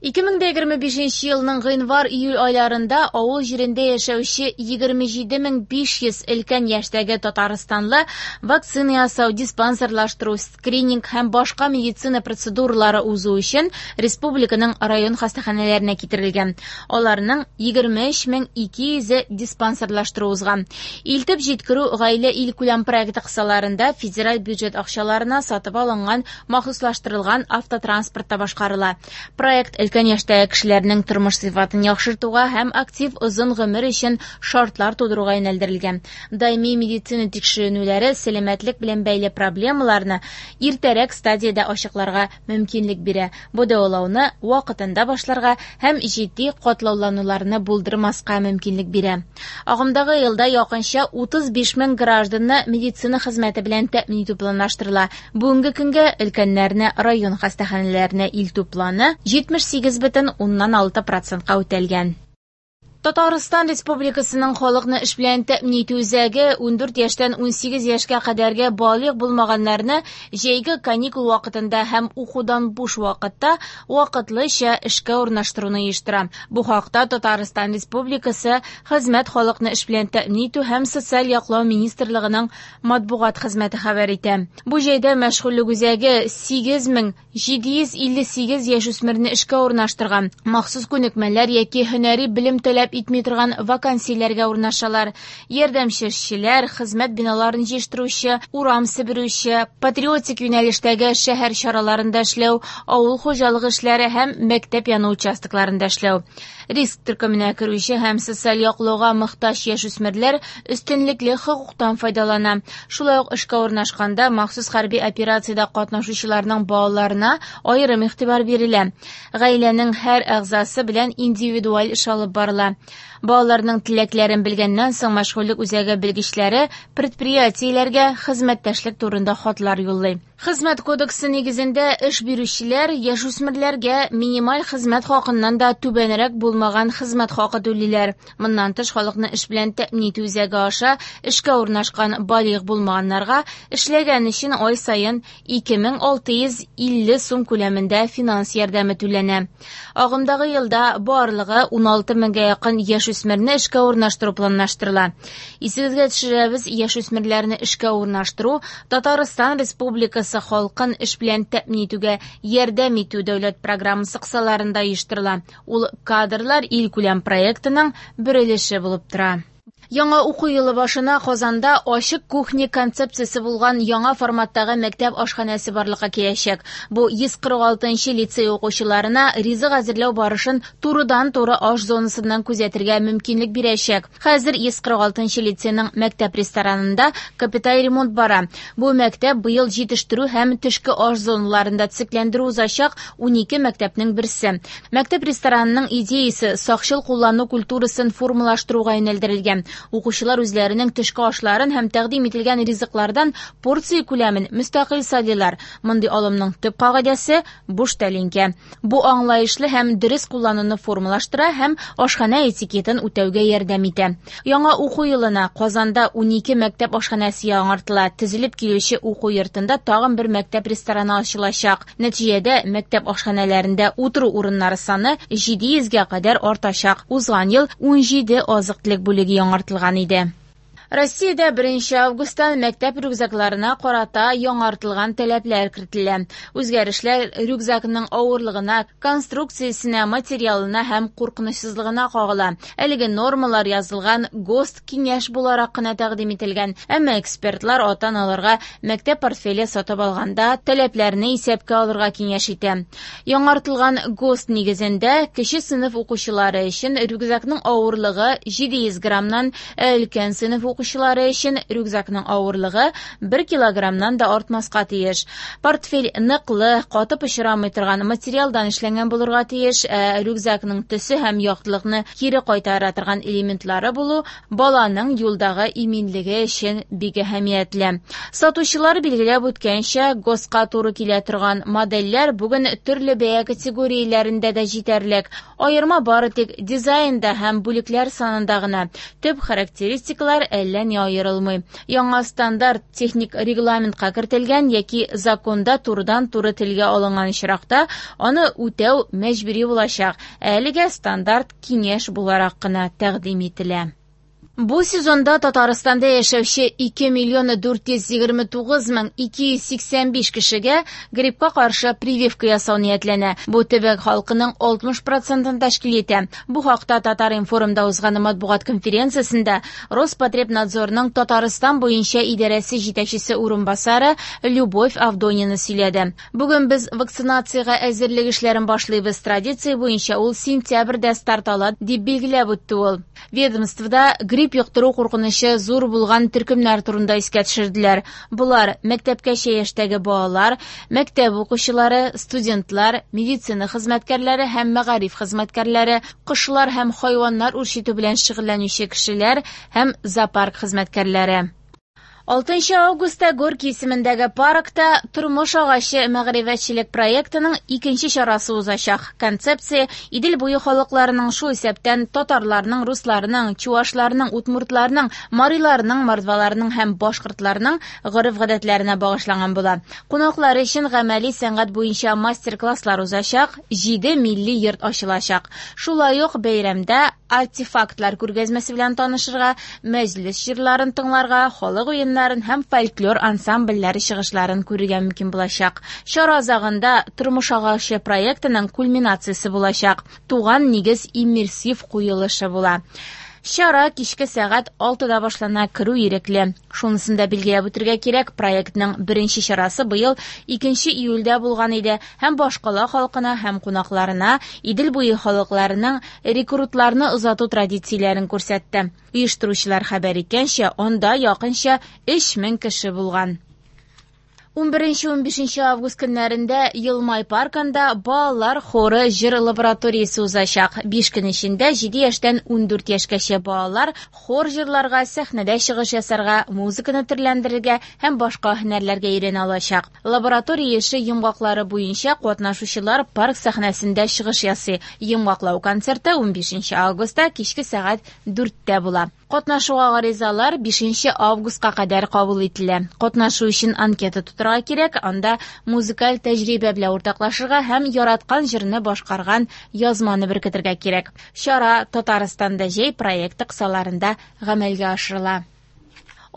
2025 елның гыйнвар-июль айларында авыл җирендә яшәүче 27 500 өлкән яшьтәге татарстанлы вакцина ясау, диспансерлаштыру, скрининг һәм башка медицина процедуралары узу өчен республиканың район хастаханәләренә китерелгән. Аларның 23 200-е диспансерлаштыру узган. Илтеп җиткерү гаилә илкүләм проекты кысаларында федераль бюджет акчаларына сатып алынган махсуслаштырылган автотранспортта башкарыла. Проект өлкән яшьтәге кешеләрнең тормыш сыйфатын яхшыртуга һәм актив озын гомер өчен шартлар тудыруга юнәлдерелгән. Даими медицина тикшеренүләре сәламәтлек белән бәйле проблемаларны иртәрәк стадиядә ачыкларга мөмкинлек бирә. Бу дәвалауны вакытында башларга һәм җитди катлаулануларны булдырмаска мөмкинлек бирә. Агымдагы елда якынча 35 мең гражданны медицина хезмәте белән тәэмин итү планлаштырыла. Бүгенге көнгә өлкәннәрне район хастаханәләренә илтү планы 78,6 процентка үтәлгән. Татарстан Республикасының халыкны эш белән тәэмин итү үзәге 14 яшьтән 18 яшькә кадәрге балигъ булмаганнарны җәйге каникул вакытында һәм укудан буш вакытта вакытлыча эшкә урнаштыруны оештыра. Бу хакта Татарстан Республикасы Хезмәт, халыкны эш белән тәэмин итү һәм социаль яклау министрлыгының матбугат хезмәте хәбәр итә. Бу җәйдә мәшгульлек үзәге 8758 яшүсмерне эшкә урнаштырган. Махсус күнекмәләр яки һөнәри белем таләп итми торган вакансияләргә урнашалар. Ярдәмче эшчеләр, хезмәт биналарын җыештыручы, урам себерүче, патриотик юнәлештәге шәһәр чараларында эшләү, авыл хуҗалыгы эшләре һәм мәктәп яны участокларында эшләү. Риск төркеменә керүче һәм социаль яклауга мохтаҗ яшүсмерләр өстенлекле хокуктан файдалана. Шулай ук эшкә урнашканда махсус хәрби операциядә катнашучыларның балаларына аерым игътибар бирелә. Гаиләнең һәр әгъзасы белән индивидуаль эш алып барыла. Балаларның теләкләрен белгәннән соң мәшгульлек үзәге белгечләре предприятиеләргә хезмәттәшлек турында хатлар юллый. Хезмәт кодексы нигезендә эш бирүчеләр яшүсмерләргә минималь хезмәт хакыннан да түбәнрәк булмаган хезмәт хакы түлиләр. Моннан тыш халыкны эш белән тәэмин итү үзәге аша эшкә урнашкан балигъ булмаганнарга эшләгән өчен ай саен 2650 сум күләмендә финанс ярдәме түләнә. Агымдагы елда барлыгы 16 меңгә якын яшүсмерне эшкә урнаштыру планлаштырыла. Исегезгә төшерәбез, яшүсмерләрне эшкә урнаштыру Татарстан Республикасы халкын эш белән тәэмин итүгә ярдәм итү дәүләт программасы кысаларында оештырыла. Ул кадрлар илкүләм проектының бер өлеше булып тора. Яңа уку елы башына Казанда ачык кухня концепциясе булган яңа форматтагы мәктәп ашханәсе барлыкка киләчәк. Бу 146 лицей укучыларына ризык әзерләү барышын турыдан-туры аш зонасыннан күзәтергә мөмкинлек бирәчәк. Хәзер 146 лицейның мәктәп ресторанында капиталь ремонт бара. Бу мәктәп быел җитештерү һәм төшке аш зоналарында төзекләндерү узачак 12 мәктәпнең берсе. Мәктәп ресторанының идеясе сакчыл куллану культурасын формалаштыруга юнәлдерелгән. Укучылар үзләренең төшке ашларын һәм тәкъдим ителгән ризыклардан порция күләмен мөстәкыйль сайлыйлар. Мондый алымның төп кагыйдәсе буш тәлинкә. Бу аңлаешлы һәм дөрес куллануны формалаштыра һәм ашханә этикетын үтәүгә ярдәм итә. Яңа уку елына Казанда 12 мәктәп ашханәсе яңартыла. Төзелеп килүче уку йортында тагын бер мәктәп рестораны ачылачак. Нәтиҗәдә мәктәп ашханәләрендә утыру урыннары саны 700гә кадәр артачак. Узган ел 17 азык-төлек бүлеге яңартылган иде. Россиядә 1 августтан мәктәп рюкзакларына карата яңартылган таләпләр кертелә. Үзгәрешләр рюкзакның авырлыгына, конструкциясенә, материалына һәм куркынычсызлыгына кагыла. Әлеге нормалар язылган ГОСТ киңәш буларак кына тәкъдим ителгән. Әмма экспертлар ата-аналарга мәктәп портфеле сатып алганда таләпләрне исәпкә алырга киңәш итә. Яңартылган ГОСТ нигезендә кече сыйныф укучылары өчен рюкзакның авырлыгы 700 граммнан, ә өлкән сыйныф укучылары өчен рюкзакның авырлыгы 1 килограммнан да артмаска тиеш. Портфель ныклы, каты пычрамый торган материалдан эшләнгән булырга тиеш, ә рюкзакның төсе һәм яктылыкны кире кайтара торган элементлары булу баланың юлдагы иминлеге өчен бик әһәмиятле. Сатучылар билгеләп үткәнчә, ГОСТка туры килә торган модельләр бүген төрле бәя категорияләрендә дә җитәрлек. Аерма бары тик дизайнда һәм бүлекләр санында гына. Төп характеристикалар әллә әллә ни аерылмый. Яңа стандарт техник регламентка кертелгән яки законда турыдан-туры телгә алынган очракта аны үтәү мәҗбүри булачак. Ә әлегә стандарт киңәш буларак кына тәкъдим ителә. Бу сезонда Татарстанда яшәүче 2 миллион 429 мең 285 кешегә гриппка каршы прививка ясау ниятләнә. Бу төбәк халкының 60 процентын тәшкил итә. Бу хакта Татар-информда узган матбугат конференциясендә Роспотребнадзорның Татарстан буенча идарәсе җитәкчесе урынбасары Любовь Авдонина сөйләде. Бүген без вакцинациягә әзерлек эшләрен башлыйбыз. Традиция буенча ул сентябрьдә старт ала, дип билгеләп үтте ул. Ведомствода грипп йоктыру куркынычы зур булган төркемнәр турында искә төшерделәр. Болар мәктәпкәчә яшьтәге балалар, мәктәп укучылары, студентлар, медицина хезмәткәрләре һәм мәгариф хезмәткәрләре, кошлар һәм хайваннар үрчетү белән шөгыльләнүче кешеләр һәм зоопарк хезмәткәрләре. 6 августта Горький исемендәге паркта Тормыш агачы мәгърифәтчелек проектының икенче чарасы узачак. Концепция Идел буе халыкларының, шул исәптән татарларның, русларның, чуашларның, удмуртларның, мариларның, мордваларның һәм башкортларның гореф-гадәтләренә багышланган була. Кунаклар өчен гамәли сәнгать буенча мастер-класслар узачак, 7 милли йорт ачылачак. Шулай ук бәйрәмдә артефактлар күргәзмәсе белән танышырга, мәҗлес җырларын тыңларга, халык уеннарын һәм фольклор ансамбльләре чыгышларын күрергә мөмкин булачак. Чара азагында Тормыш агачы проектының кульминациясе булачак. Туган нигез иммерсив куелышы була. Чара кичке сәгать 6-да башлана, керү ирекле. Шунысын да билгеләп үтергә кирәк, проектның беренче чарасы быел 2 июльдә булган иде һәм башкала халкына һәм кунакларына Идел буе халыкларының рекрутларны озату традицияләрен күрсәтте. Оештыручылар хәбәр иткәнчә, анда якынча 3000 кеше булган. 11-15 август көннәрендә Елмай паркында балалар хоры җыр лабораториясе узачак. 5 көн эчендә 7 яшьтән 14 яшькәчә балалар хор җырларга, сәхнәдә чыгыш ясарга, музыканы төрләндерергә һәм башка һөнәрләргә өйрәнә алачак. Лаборатория эше йомгаклары буенча катнашучылар парк сәхнәсендә чыгыш ясый. Йомгаклау концерты 15 августта кичке сәгать 4-тә була. Катнашуга гаризалар 5 августка кадәр кабул ителә. Катнашу өчен анкета тутырырга кирәк, анда музыкаль тәҗрибә белән уртаклашырга һәм яраткан җырны башкарган язманы беркетергә кирәк. Чара Татарстанда җәй проекты кысаларында гамәлгә ашырыла.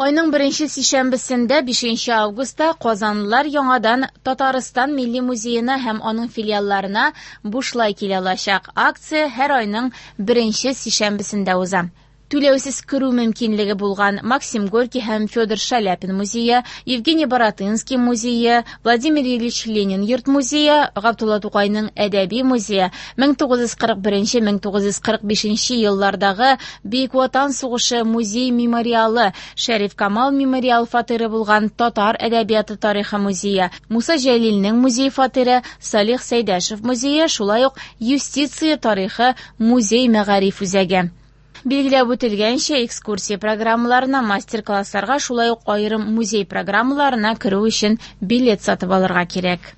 Айның беренче сишәмбесендә, 5 августта, казанлылар яңадан Татарстан Милли музеена һәм аның филиалларына бушлай килә алачак. Акция һәр айның беренче сишәмбесендә уза. Түләүсез керү мөмкинлеге булган Максим Горький һәм Федор Шаляпин музее, Евгений Баратынский музее, Владимир Ильич Ленин йорт музее, Габдулла Тукайның әдәби музее, 1941-1945 еллардагы Бөек Ватан сугышы музей мемориалы, Шәриф Камал мемориал фатиры булган Татар әдәбияты тарихы музее, Муса Җәлилнең музей фатиры, Салих Сәйдәшев музее, шулай ук юстиция тарихы музей мәгариф үзәге. Билгеләп үтелгәнчә, экскурсия программаларына, мастер-классларга, шулай ук аерым музей программаларына керү өчен билет сатып алырга кирәк.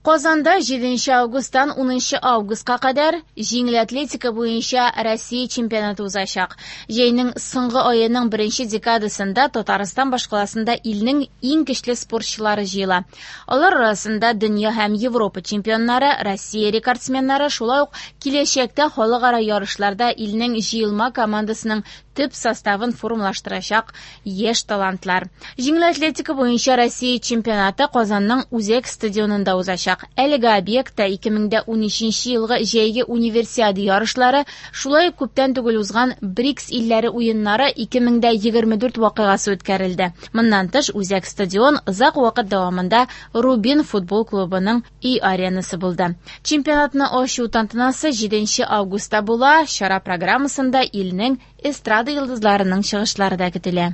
Казанда 7 августтан 10 августка кадәр җиңел атлетика буенча Россия чемпионаты узачак. Җәйнең соңгы аеның беренче декадасында Татарстан башкаласында илнең иң көчле спортчылары җыела. Алар арасында дөнья һәм Европа чемпионнары, Россия рекордсменнары, шулай ук киләчәктә халыкара ярышларда илнең җыелма командасының төп составын формалаштырачак яшь талантлар. Җиңел атлетика буенча Россия чемпионаты Казанның үзәк стадионында узачак. Әлеге объектта 2013 елгы җәйге универсиада ярышлары, шулай ук күптән түгел узган БРИКС илләре уеннары 2024 вакыйгасы үткәрелде. Моннан тыш, үзәк стадион озак вакыт дәвамында Рубин футбол клубының өй аренасы булды. Чемпионатны ачу тантанасы 7 августта була. Чара программасында илнең эстрада йолдызларының чыгышлары да көтелә.